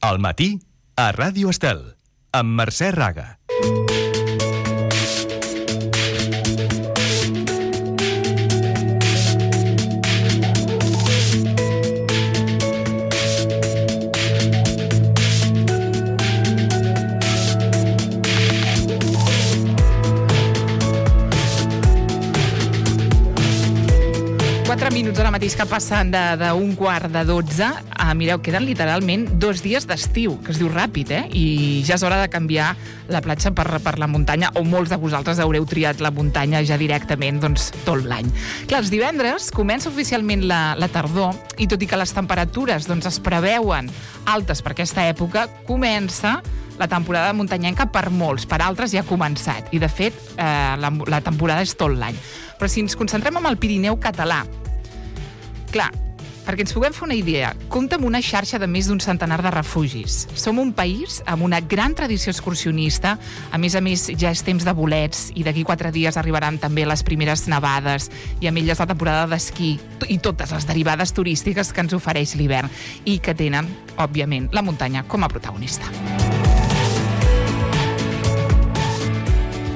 Al matí, a Ràdio Estel, amb Mercè Raga. Minuts ara mateix que passen d'un quart de 12. Mireu, queden literalment 2 dies d'estiu, que es diu ràpid, I ja és hora de canviar la platja per la muntanya, o molts de vosaltres haureu triat la muntanya ja directament tot l'any. Clar, els divendres comença oficialment la tardor, i tot i que les temperatures es preveuen altes per aquesta època, comença la temporada muntanyenca per molts, per altres ja ha començat, i de fet la temporada és tot l'any. Però si ens concentrem en el Pirineu català, clar, perquè ens puguem fer una idea, compta amb una xarxa de més d'un centenar de refugis. Som un país amb una gran tradició excursionista, a més, ja és temps de bolets, i d'aquí 4 dies arribaran també les primeres nevades, i amb elles la temporada d'esquí, i totes les derivades turístiques que ens ofereix l'hivern, i que tenen, òbviament, la muntanya com a protagonista.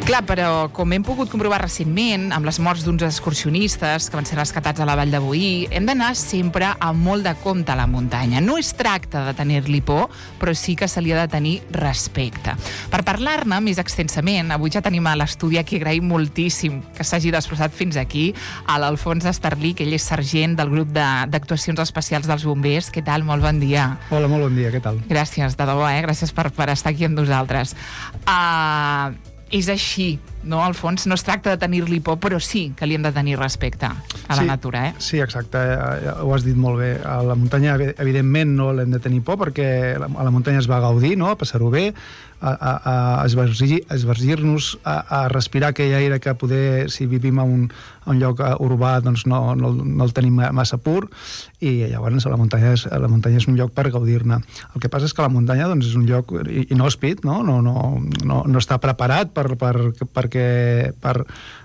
Clar, però com hem pogut comprovar recentment, amb les morts d'uns excursionistes que van ser rescatats a la Vall de Boí, hem d'anar sempre amb molt de compte a la muntanya. No es tracta de tenir-li por, però sí que se li ha de tenir respecte. Per parlar-ne més extensament, avui ja tenim a l'estudi a qui agraïm moltíssim que s'hagi desplaçat fins aquí, a l'Alfons Esterlí, que ell és sergent del grup d'actuacions especials dels bombers. Què tal? Molt bon dia. Hola, molt bon dia, què tal? Gràcies, de debò, Gràcies per estar aquí amb nosaltres. És així, no, Alfons? No es tracta de tenir-li por, però sí que li hem de tenir respecte a la natura, Sí, exacte, ho has dit molt bé. A la muntanya, evidentment, no l'hem de tenir por, perquè a la muntanya es va gaudir, no?, a passar-ho bé, a esvergir-nos, a respirar aquell aire que poder, si vivim a un lloc urbà, doncs no el tenim massa pur, i llavors la muntanya és un lloc per gaudir-ne. El que passa és que la muntanya és un lloc inhòspit, no està preparat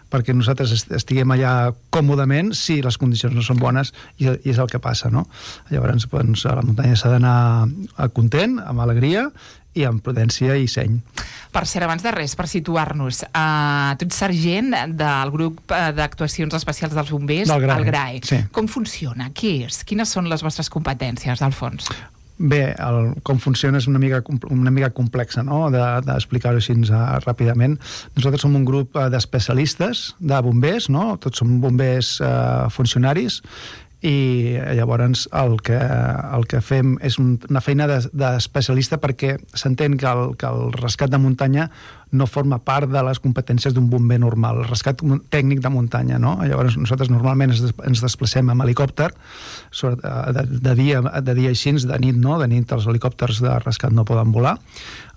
perquè nosaltres estiguem allà còmodament si les condicions no són bones, i és el que passa, no? Llavors, a la muntanya s'ha d'anar content, amb alegria, i amb prudència i seny. Per cert, abans de res, per situar-nos, tu ets sergent del grup d'actuacions especials dels bombers, el GRAE. Sí. Com funciona? Què és? Quines són les vostres competències, Alfons? Bé, com funciona és una mica complexa, no?, d'explicar-ho així ràpidament. Nosaltres som un grup d'especialistes, de bombers, no?, tots som bombers funcionaris, i llavors el que fem és una feina d'especialista, perquè s'entén que el rescat de muntanya no forma part de les competències d'un bomber normal, el rescat tècnic de muntanya, no? Llavors nosaltres normalment ens desplacem amb helicòpter, de dia així, de nit no, de nit els helicòpters de rescat no poden volar.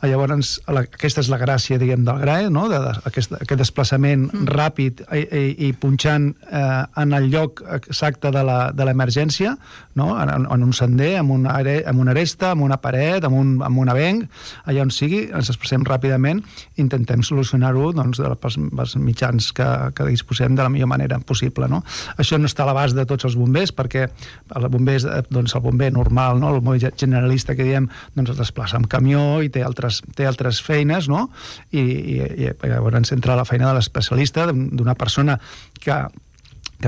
Llavors aquesta és la gràcia, diguem, del GRAE, no?, aquest desplaçament ràpid i punxant en el lloc exacte de l'emergència, no?, en un sender, en una aresta, en una paret, en un avenc, allà on sigui, ens desplacem ràpidament, intentem solucionar-ho pels mitjans que disposem de la millor manera possible, no? Això no està a l'abast de tots els bombers, perquè el bomber normal, no?, el bomber generalista que diem, es desplaça amb camió i té altres feines, no?, i llavors entra la feina de l'especialista, d'una persona que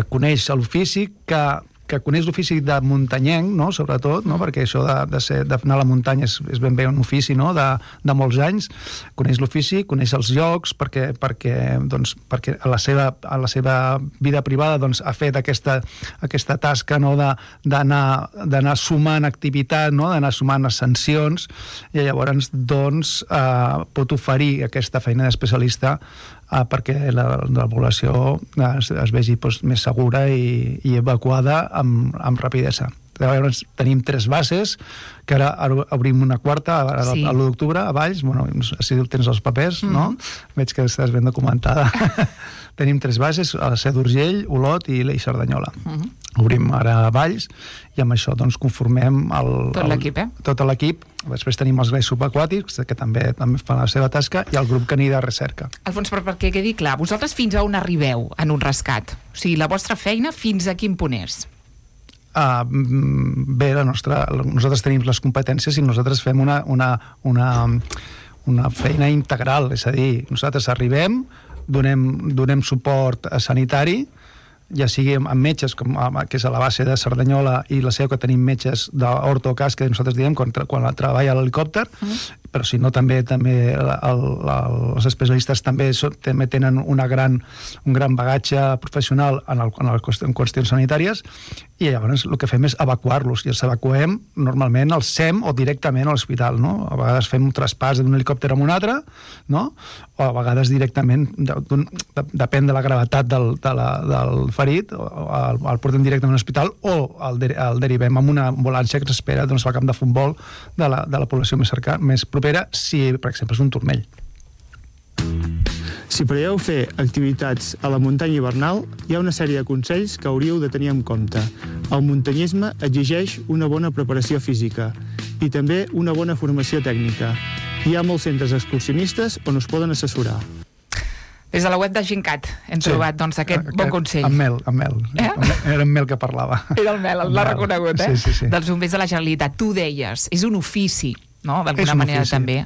coneix l'ofici, que coneix l'ofici de muntanyenc, no?, sobretot, no?, perquè això d'anar a la muntanya és ben bé un ofici, no?, de molts anys. Coneix l'ofici, coneix els llocs, perquè a la seva vida privada ha fet aquesta tasca, no?, d'anar sumant activitat, no?, d'anar sumant ascensions, i llavors pot oferir aquesta feina d'especialista perquè la població es vegi més segura i evacuada amb rapidesa. Llavors tenim 3 bases, que ara obrim una quarta, l'1 d'octubre, a Valls. Bueno, si tens els papers, no? Veig que estàs ben documentada. Tenim 3 bases, a la Seu d'Urgell, Olot i Cerdanyola. Obrim ara a Valls, i amb això conformem tot l'equip. Després tenim els GRAE subaquàtics, que també fan la seva tasca, i el grup caní de recerca. Alfons, perquè quedi clar, vosaltres fins a on arribeu en un rescat? O sigui, la vostra feina fins a quin punt és? bé, nosaltres tenim les competències i nosaltres fem una feina integral, és a dir, nosaltres arribem, donem suport sanitari, ja sigui amb metges, que és a la base de Cerdanyola, i la seu que tenim metges d'ortocas, que nosaltres diem quan treballa l'helicòpter, però si no també els especialistes també tenen un gran bagatge professional en qüestions sanitàries, i llavors el que fem és evacuar-los, i els evacuem normalment al SEM o directament a l'hospital, no? A vegades fem un traspàs d'un helicòpter a un altre, no? O a vegades directament, depèn de la gravetat del ferit, el portem directament a l'hospital o el derivem amb una ambulància que s'espera al camp de futbol de la població més propera, si, per exemple, és un turmell. Si preveieu fer activitats a la muntanya hivernal, hi ha una sèrie de consells que hauríeu de tenir en compte. El muntanyisme exigeix una bona preparació física i també una bona formació tècnica. Hi ha molts centres excursionistes on us poden assessorar. Des de la web de Gincat hem trobat aquest bon consell. Amb mel. Era en Mel que parlava. Era el Mel, l'ha reconegut, Sí. Dels bombers de la Generalitat. Tu deies, és un ofici, no? D'alguna manera també,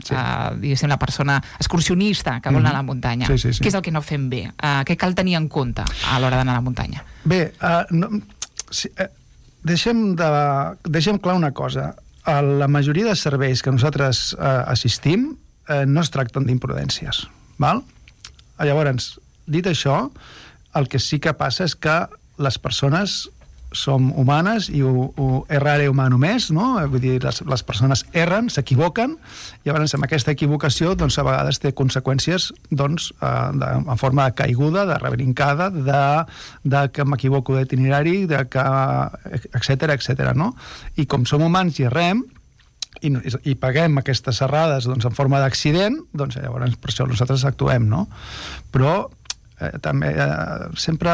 diguéssim, la persona excursionista que vol anar a la muntanya. Sí. Què és el que no fem bé? Què cal tenir en compte a l'hora d'anar a la muntanya? Bé, deixem clar una cosa. La majoria de serveis que nosaltres assistim no es tracten d'imprudències, val? Llavors, dit això, el que sí que passa és que les persones som humanes i errare humano més, no? Vull dir, les persones erren, s'equivoquen, i llavors amb aquesta equivocació doncs, a vegades té conseqüències doncs, en forma de caiguda, de rebrincada, de que m'equivoco d'itinerari, etc., no? I com som humans i errem, i paguem aquestes errades doncs, en forma d'accident, doncs llavors per això nosaltres actuem, no? Però també sempre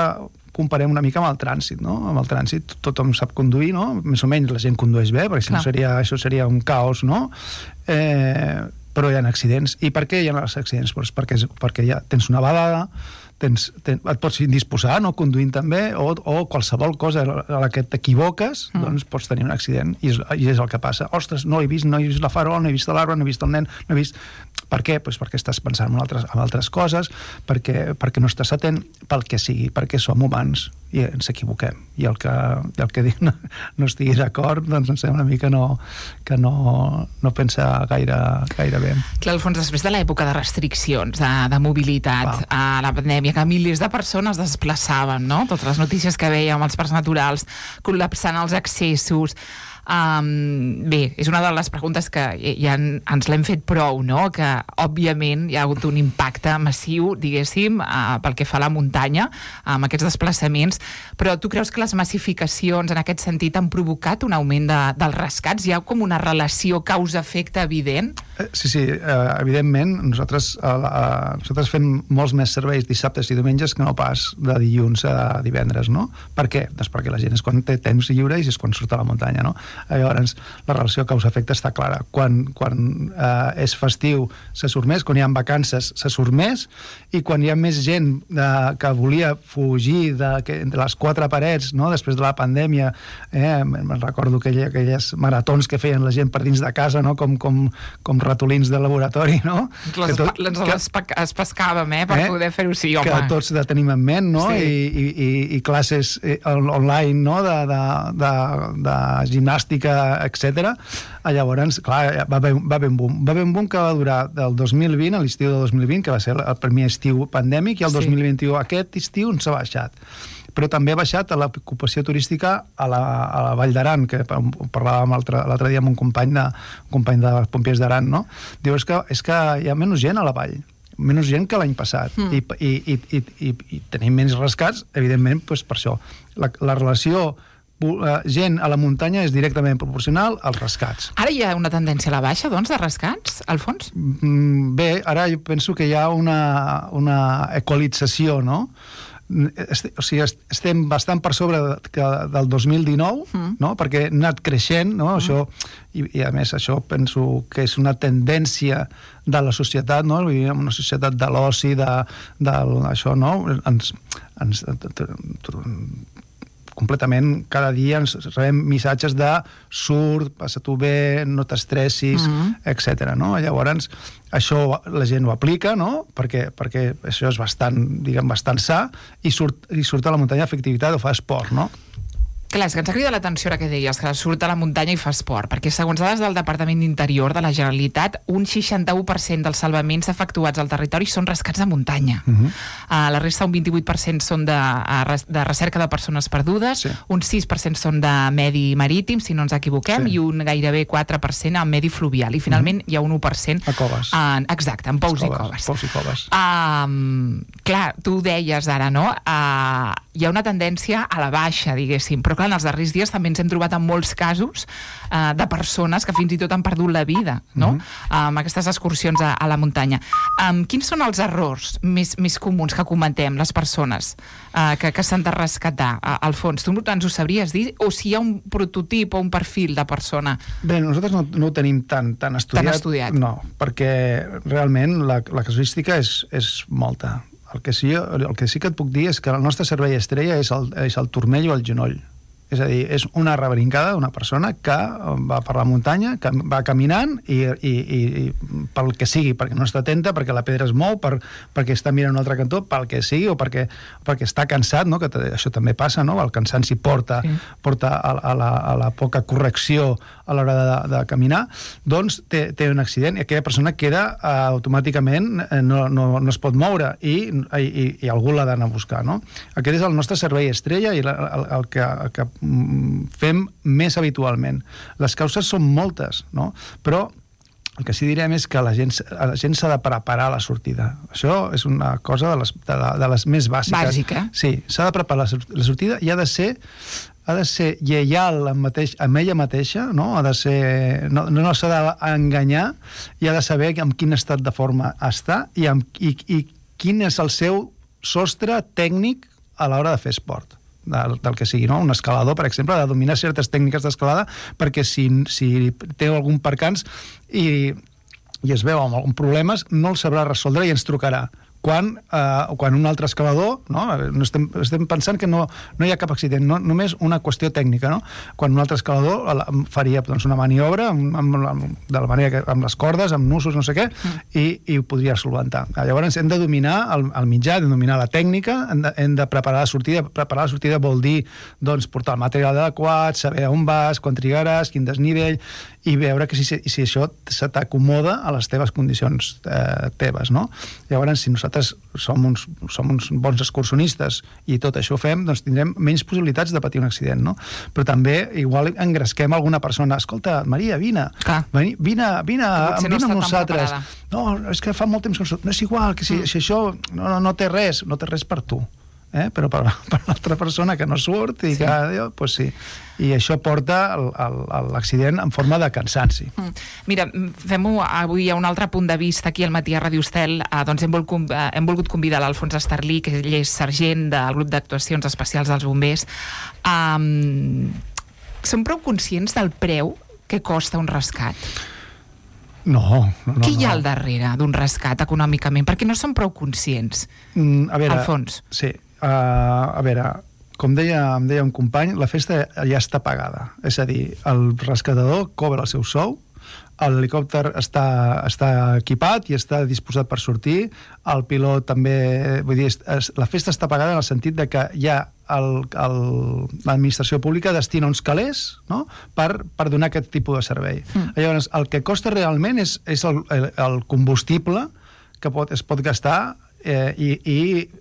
comparem una mica amb el trànsit, no? Amb el trànsit tothom sap conduir, no? Més o menys la gent condueix bé, perquè si no això seria un caos, no? Però hi ha accidents. I per què hi ha els accidents? Doncs perquè ja tens una badada, et pots indisposar, no? Conduint també, o qualsevol cosa a la que t'equivoques, doncs pots tenir un accident, i és el que passa. Ostres, no he vist la farol, no he vist l'arbre, no he vist el nen, no he vist... Per què? Doncs perquè estàs pensant en altres coses, perquè no estàs atent, pel que sigui, perquè som humans i ens equivoquem. I el que dic no estigui d'acord, doncs em sembla a mi que no pensa gaire bé. Clar, Alfons, després de l'època de restriccions, de mobilitat, a la pandèmia, que milers de persones es desplaçaven, no? Totes les notícies que veiem, els parcs naturals, col·lapsant els accessos... Bé, és una de les preguntes que ja ens l'hem fet prou, no? Que òbviament hi ha hagut un impacte massiu, diguéssim, pel que fa a la muntanya, amb aquests desplaçaments, però tu creus que les massificacions en aquest sentit han provocat un augment dels rescats? Hi ha com una relació causa-efecte evident? Sí, evidentment nosaltres fem molts més serveis dissabtes i diumenges que no pas de dilluns a divendres, no? Per què? Doncs perquè la gent és quan té temps lliure i és quan surt a la muntanya, no? Llavors la relació causa-efecte està clara. Quan és festiu se surt més, quan hi ha vacances se surt més, i quan hi ha més gent que volia fugir de les quatre parets, no? Després de la pandèmia, me'n recordo aquelles maratons que feien la gent per dins de casa, no? Com ratolins de laboratori, no? Es pescàvem, per poder fer-ho, sí, home. Que tots tenim en ment, no? Sí. I classes online, no? De gimnàstica, etc. Llavors, clar, va haver un boom. Va haver un boom que va durar del 2020, a l'estiu del 2020, que va ser el primer estiu pandèmic, i el 2021, aquest estiu, s'ha baixat. Però també ha baixat l'ocupació turística a la Vall d'Aran, que parlàvem l'altre dia amb un company de Pompiers d'Aran, no? Diu, és que hi ha menys gent a la vall, menys gent que l'any passat, i tenim menys rescats, evidentment, per això. La relació gent a la muntanya és directament proporcional als rescats. Ara hi ha una tendència a la baixa, doncs, de rescats, Alfons? Bé, ara jo penso que hi ha una equalització, no? O sigui, estem bastant per sobre del 2019, no? Perquè ha anat creixent, no? Això, i a més això penso que és una tendència de la societat, no? Vivim en una societat de l'oci, això, no? completament, cada dia ens rebem missatges de surt, passa-t'ho bé, no t'estressis, etc. No? Llavors, això la gent ho aplica, no? perquè això és bastant sa, i surt a la muntanya a fer activitat o fa esport, no? Clar, és que ens ha cridat l'atenció ara que deies, que surt a la muntanya i fa esport, perquè segons dades del Departament d'Interior de la Generalitat, un 61% dels salvaments efectuats al territori són rescats de muntanya. La resta, un 28% són de recerca de persones perdudes, un 6% són de medi marítim, si no ens equivoquem, i un gairebé 4% en medi fluvial. I finalment hi ha un 1% a coves. Exacte, en pous i coves. Pous i coves. Clar, tu deies ara, no? Hi ha una tendència a la baixa, diguéssim, però clar, en els darrers dies també ens hem trobat en molts casos de persones que fins i tot han perdut la vida, no? Amb aquestes excursions a la muntanya. Quins són els errors més comuns que comentem les persones que s'han de rescatar al fons? Tu ens ho sabries dir? O si hi ha un prototip o un perfil de persona? Bé, nosaltres no ho tenim tan estudiat. No, perquè realment la casuística és molta. El que sí que et puc dir és que el nostre servei estrella és el turmell o el genoll. És a dir, és una rebrincada d'una persona que va per la muntanya, que va caminant i pel que sigui, perquè no està atenta, perquè la pedra es mou, perquè està mirant un altre cantó, pel que sigui, o perquè està cansat, no? Que això també passa, no? El cansanci porta a la poca correcció a l'hora de caminar, doncs té un accident i aquella persona queda automàticament, no es pot moure i algú l'ha d'anar a buscar, no? Aquest és el nostre servei estrella i el que fem més habitualment. Les causes són moltes, no? Però el que sí direm és que la gent s'ha de preparar a la sortida. Això és una cosa de les més bàsiques. Bàsica. Sí, s'ha de preparar la sortida i ha de ser lleial amb ella mateixa, no? Ha de ser, no s'ha d'enganyar i ha de saber en quin estat de forma està i quin és el seu sostre tècnic a l'hora de fer esport. Del que sigui, no? Un escalador, per exemple, ha de dominar certes tècniques d'escalada perquè si té algun percans i es veu amb alguns problemes, no el sabrà resoldre i ens trucarà. Quan un altre escalador, no? Estem pensant que no hi ha cap accident, només una qüestió tècnica, no? Quan un altre escalador faria una maniobra de la manera que, amb les cordes, amb nusos, no sé què, i ho podria solventar. Llavors hem de dominar el mitjà, hem de dominar la tècnica, hem de preparar la sortida. Preparar la sortida vol dir portar el material adequat, saber on vas, quan trigaràs, quin desnivell, i veure que si això se t'acomoda a les teves condicions teves, no? Llavors, si nosaltres som uns bons excursionistes i tot això ho fem, doncs tindrem menys possibilitats de patir un accident, no? Però també igual engresquem alguna persona. Escolta, Maria, vine amb nosaltres. No, és que fa molt temps que no és igual, que si això no té res per tu. Però per l'altra persona que no surt i que, doncs sí. I això porta l'accident en forma de cansanci. Mira, fem-ho avui a un altre punt de vista aquí al Matí a Radio Estel. Doncs hem volgut convidar l'Alfons Estarlí, que ell és sergent del grup d'actuacions especials dels bombers. Som prou conscients del preu que costa un rescat? No. Què hi ha al darrere d'un rescat econòmicament? Perquè no som prou conscients, Alfons. Sí, a veure, com em deia un company, la festa ja està pagada. És a dir, el rescatador cobra el seu sou, l'helicòpter està equipat i està disposat per sortir, el pilot també, vull dir, la festa està pagada en el sentit de que ja l'administració pública destina uns calés, no?, per donar aquest tipus de servei. Llavors, el que costa realment és el combustible que es pot gastar i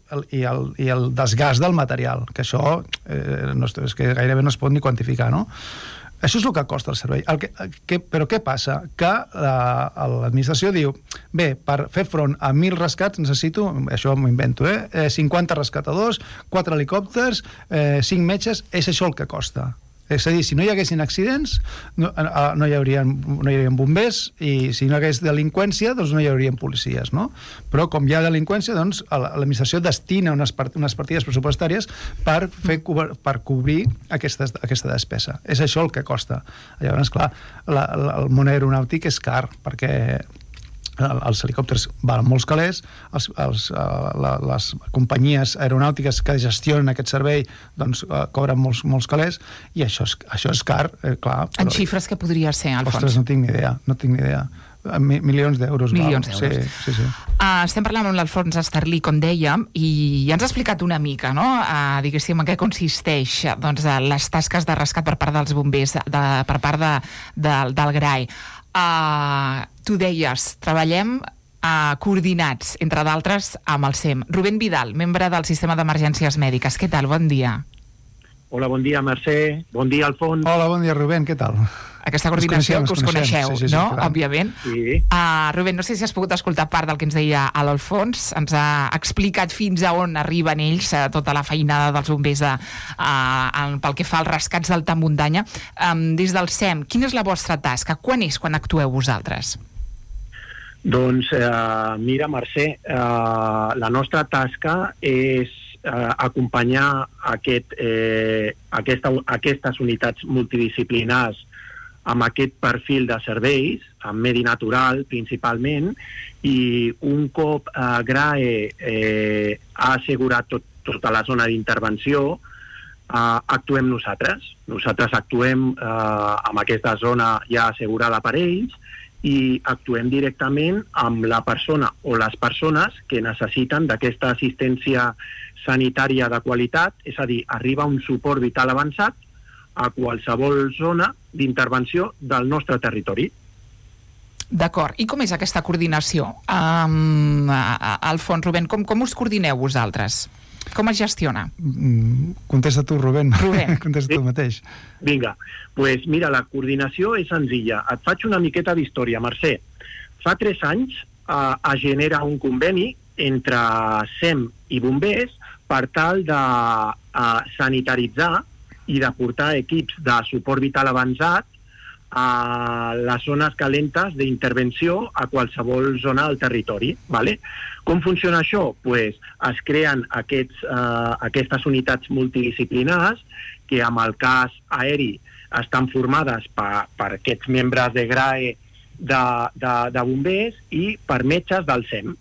el desgast del material, que això és que gairebé no es pot ni quantificar, no? Això és el que costa el servei. Però què passa? Que l'administració diu, bé, per fer front a 1.000 rescats necessito, això m'ho invento, 50 rescatadors, 4 helicòpters, 5 metges, és això el que costa. És a dir, si no hi haguessin accidents, no hi haurien bombers, i si no hi hagués delinqüència, doncs no hi haurien policies, no? Però com hi ha delinqüència, doncs l'administració destina unes partides pressupostàries per cobrir aquesta despesa. És això el que costa. Llavors, clar, el món aeronàutic és car, perquè els helicòpters valen molts calés, les companyies aeronàutiques que gestionen aquest servei doncs, cobren molts calés, i això és car, clar. Però... En xifres que podria ser, Alfons? Ostres, no tinc ni idea. Milions d'euros. Milions d'euros. Sí. Estem parlant amb l'Alfons Esterlí, com dèiem, i ja ens ha explicat una mica, no?, diguéssim, en què consisteix doncs, les tasques de rescat per part dels bombers, per part del GRAE. Tu deies, treballem coordinats, entre d'altres, amb el SEM. Rubén Vidal, membre del Sistema d'Emergències Mèdiques. Què tal? Bon dia. Hola, bon dia, Mercè. Bon dia, Alfons. Hola, bon dia, Rubén. Què tal? Aquesta coordinació que us coneixeu, sí, no? Clar. Òbviament. Sí. Rubén, no sé si has pogut escoltar part del que ens deia l'Alfons. Ens ha explicat fins a on arriben ells, tota la feinada dels bombers pel que fa als rescats d'alta muntanya. Des del SEM, quina és la vostra tasca? Quan actueu vosaltres? Doncs, mira, Mercè, la nostra tasca és acompanyar aquestes unitats multidisciplinars amb aquest perfil de serveis, amb medi natural principalment, i un cop GRAE ha assegurat tota la zona d'intervenció, actuem nosaltres. Nosaltres actuem amb aquesta zona ja assegurada per ells i actuem directament amb la persona o les persones que necessiten d'aquesta assistència sanitària de qualitat, és a dir, arriba un suport vital avançat a qualsevol zona d'intervenció del nostre territori. D'acord. I com és aquesta coordinació? Alfons, Rubén, com us coordineu vosaltres? Com es gestiona? Contesta tu, Rubén. Contesta tu mateix. Vinga, doncs mira, la coordinació és senzilla. Et faig una miqueta d'història, Mercè. Fa 3 anys es genera un conveni entre SEM i bombers per tal de sanitaritzar i de portar equips de suport vital avançat a les zones calentes d'intervenció a qualsevol zona del territori. ¿Vale? Com funciona això? Pues es creen aquestes unitats multidisciplinars que amb el cas aeri estan formades per aquests membres de GRAE de bombers i per metges del SEM.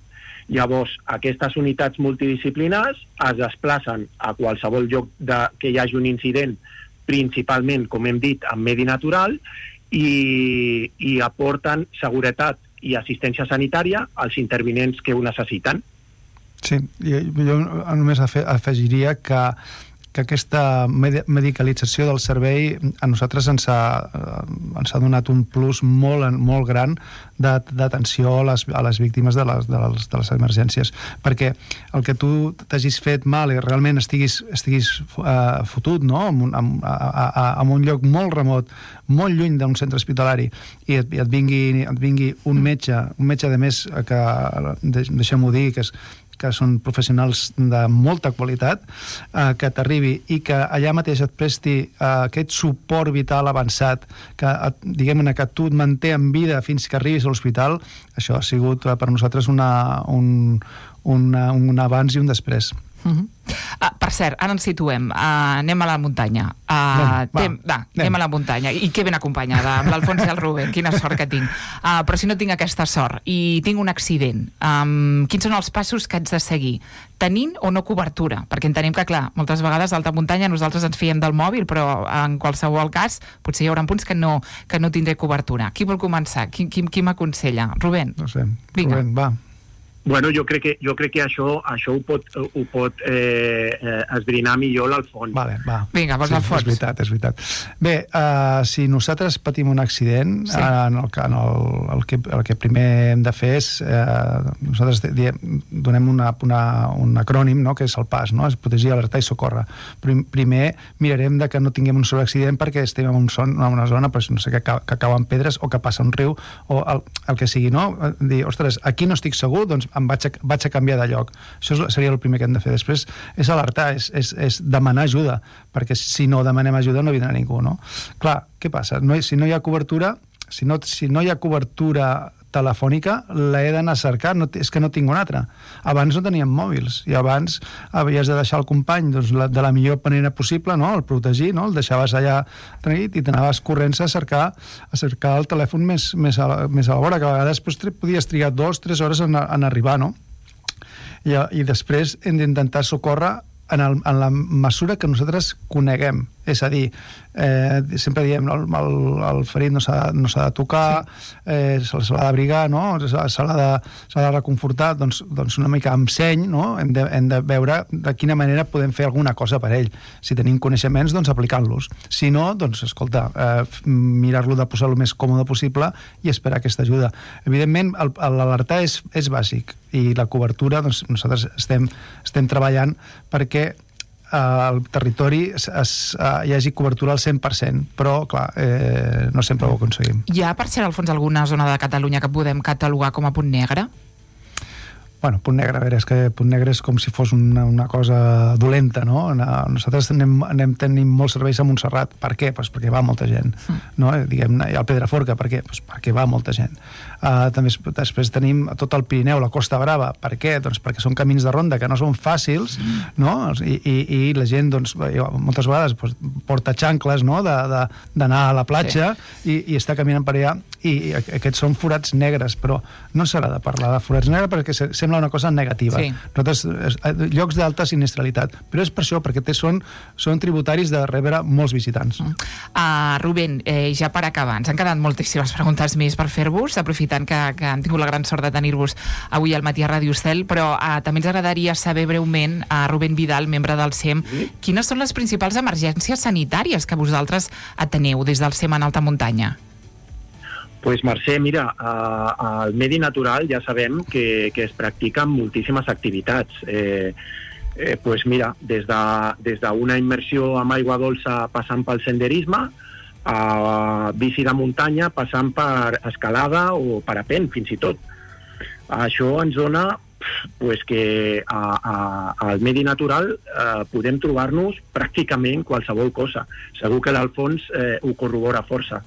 Llavors, aquestes unitats multidisciplinars es desplacen a qualsevol lloc que hi hagi un incident, principalment, com hem dit, en medi natural, i aporten seguretat i assistència sanitària als intervinents que ho necessiten. Sí, jo només afegiria que aquesta medicalització del servei a nosaltres ens ha donat un plus molt gran d'atenció a les víctimes de les emergències, perquè el que tu t'hagis fet mal i realment estiguis fotut, no?, en un lloc molt remot, molt lluny d'un centre hospitalari, i et vingui un metge de més, que deixem-ho dir, que són professionals de molta qualitat, que t'arribi i que allà mateix et presti aquest suport vital avançat, que diguem-ne que tu et manté en vida fins que arribis a l'hospital, això ha sigut per nosaltres un abans i un després. Per cert, ara ens situem, anem a la muntanya. Anem a la muntanya, i que ben acompanyada amb l'Alfons i el Rubén, quina sort que tinc. Però si no tinc aquesta sort i tinc un accident, quins són els passos que haig de seguir? Tenint o no cobertura? Perquè entenem que, clar, moltes vegades a alta muntanya nosaltres ens fiem del mòbil, però en qualsevol cas potser hi haurà punts que no tindré cobertura. Qui vol començar? Qui m'aconsella? Rubén? No sé, vinga. Rubén, va. Bueno, jo crec que això ho pot esbrinar millor l'Alfons. Vale, va. Vinga, vols Alfons. És veritat. Bé, si nosaltres patim un accident, sí, el que primer hem de fer és nosaltres donem un acrònim, no?, que és el PAS, no?, és protegir, alertar i socórrer. Primer mirarem de que no tinguem un sol accident perquè estem en una zona, però no sé, que cauen pedres o que passa un riu o el que sigui, no? Dir, ostres, aquí no estic segur, doncs em vaig a canviar de lloc. Això seria el primer que hem de fer. Després és alertar, és demanar ajuda, perquè si no demanem ajuda no vindrà ningú, no? Clar, què passa? Si no hi ha cobertura, si no hi ha cobertura telefònica l'he d'anar a cercar, és que no tinc una altra. Abans no teníem mòbils, i abans havies de deixar el company de la millor manera possible, no? El protegir, no? El deixaves allà tranquil i t'anaves corrents a cercar el telèfon més a la vora, que a vegades podies trigar 2-3 hores en arribar, no? I després hem d'intentar socórrer en la mesura que nosaltres coneguem. És a dir, sempre diem el ferit no s'ha de tocar, se l'ha d'abrigar, no? Se l'ha de reconfortar, doncs una mica amb seny, no? Hem de veure de quina manera podem fer alguna cosa per ell. Si tenim coneixements, doncs aplicant-los. Si no, doncs, escolta, mirar-lo de posar el més còmode possible i esperar aquesta ajuda. Evidentment, l'alertar és bàsic, i la cobertura, doncs, nosaltres estem treballant perquè al territori hi hagi cobertura al 100%, però, clar, no sempre ho aconseguim. Hi ha, per cert, al fons, alguna zona de Catalunya que podem catalogar com a punt negre? Bueno, punt negre, a veure, és que punt negre és com si fos una cosa dolenta, no? Nosaltres tenim molts serveis a Montserrat. Per què? Pues perquè va molta gent, no? Diguem-ne, i al Pedraforca, per què? Pues perquè va molta gent. També després tenim tot el Pirineu, la Costa Brava. Per què? Doncs perquè són camins de ronda que no són fàcils, no? I la gent, doncs, moltes vegades porta xancles, no? D'anar a la platja i està caminant per allà, i aquests són forats negres, però no s'ha de parlar de forats negres perquè sembla una cosa negativa. Sí. Nosaltres, llocs d'alta sinistralitat, però és per això, perquè són tributaris de rebre molts visitants. Rubén, ja per acabar, ens han quedat moltíssimes preguntes més per fer-vos, aprofitant que han tingut la gran sort de tenir-vos avui al matí a Ràdio Estel, però també ens agradaria saber breument, a Rubén Vidal, membre del SEM, quines són les principals emergències sanitàries que vosaltres ateneu des del SEM en alta muntanya? Pues Mercè, mira, al medi natural ja sabem que es practiquen moltíssimes activitats. Pues mira, des d'una immersió amb aigua dolça passant pel senderisme, a bici de muntanya passant per escalada o parapent, fins i tot. Això ens dona pues, que al medi natural podem trobar-nos pràcticament qualsevol cosa. Segur que l'Alfons ho corrobora força.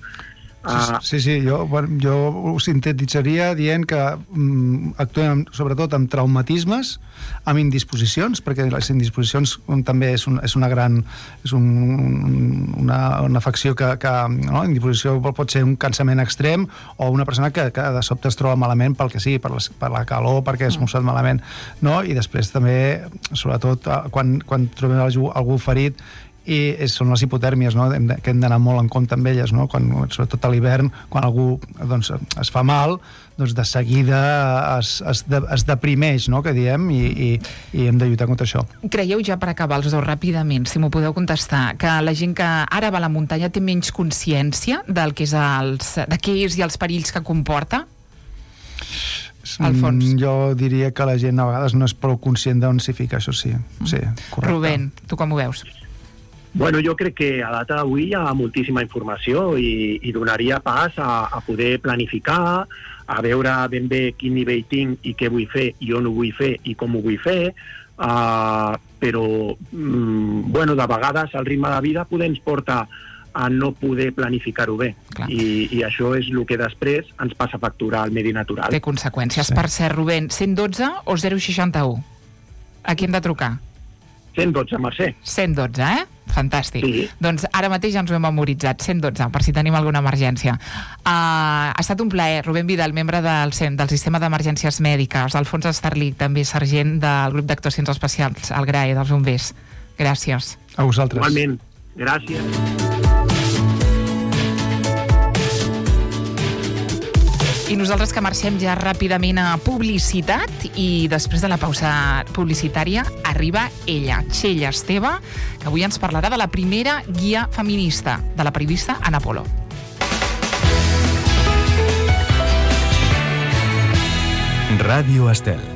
Sí, jo ho sintetitzaria dient que actuem sobretot amb traumatismes, amb indisposicions, perquè les indisposicions també és una afecció que no? Indisposició pot ser un cansament extrem o una persona que de sobte es troba malament pel que sigui, per la calor, perquè es mossat malament, no? I després també, sobretot, quan trobem algú ferit, i són les hipotèrmies, no? Que hem d'anar molt en compte amb elles, no? Sobretot a l'hivern, quan algú doncs, es fa mal, doncs de seguida es deprimeix, no? Que diem, i hem de lluitar contra això. Creieu, ja per acabar els dos ràpidament, si m'ho podeu contestar, que la gent que ara va a la muntanya té menys consciència del que és i els perills que comporta? Alfons. Jo diria que la gent a vegades no és prou conscient d'on s'hi fica, això sí. Sí, correcte. Rubén, tu com ho veus? Bueno, jo crec que a data d'avui hi ha moltíssima informació i donaria pas a poder planificar, a veure ben bé quin nivell tinc i què vull fer i on ho vull fer i com ho vull fer, però bueno, de vegades el ritme de vida ens porta a no poder planificar-ho bé. I això és el que després ens passa a facturar al medi natural. Té conseqüències. Sí. Per cert, Rubén, 112 o 061? A qui hem de trucar? 112, Mercè. 112, Fantàstic. Sí. Doncs ara mateix ja ens ho hem memoritzat, 112, per si tenim alguna emergència. Ha estat un plaer. Rubén Vidal, membre del SEM, del Sistema d'Emergències Mèdiques, Alfons Estarlich, també sergent del grup d'actuacions especials, al GRAE, dels bombers. Gràcies. A vosaltres. Igualment. Gràcies. I nosaltres que marxem ja ràpidament a publicitat, i després de la pausa publicitària arriba ella, Txell Esteve, que avui ens parlarà de la primera guia feminista, de la periodista Ana Polo. Ràdio Estel.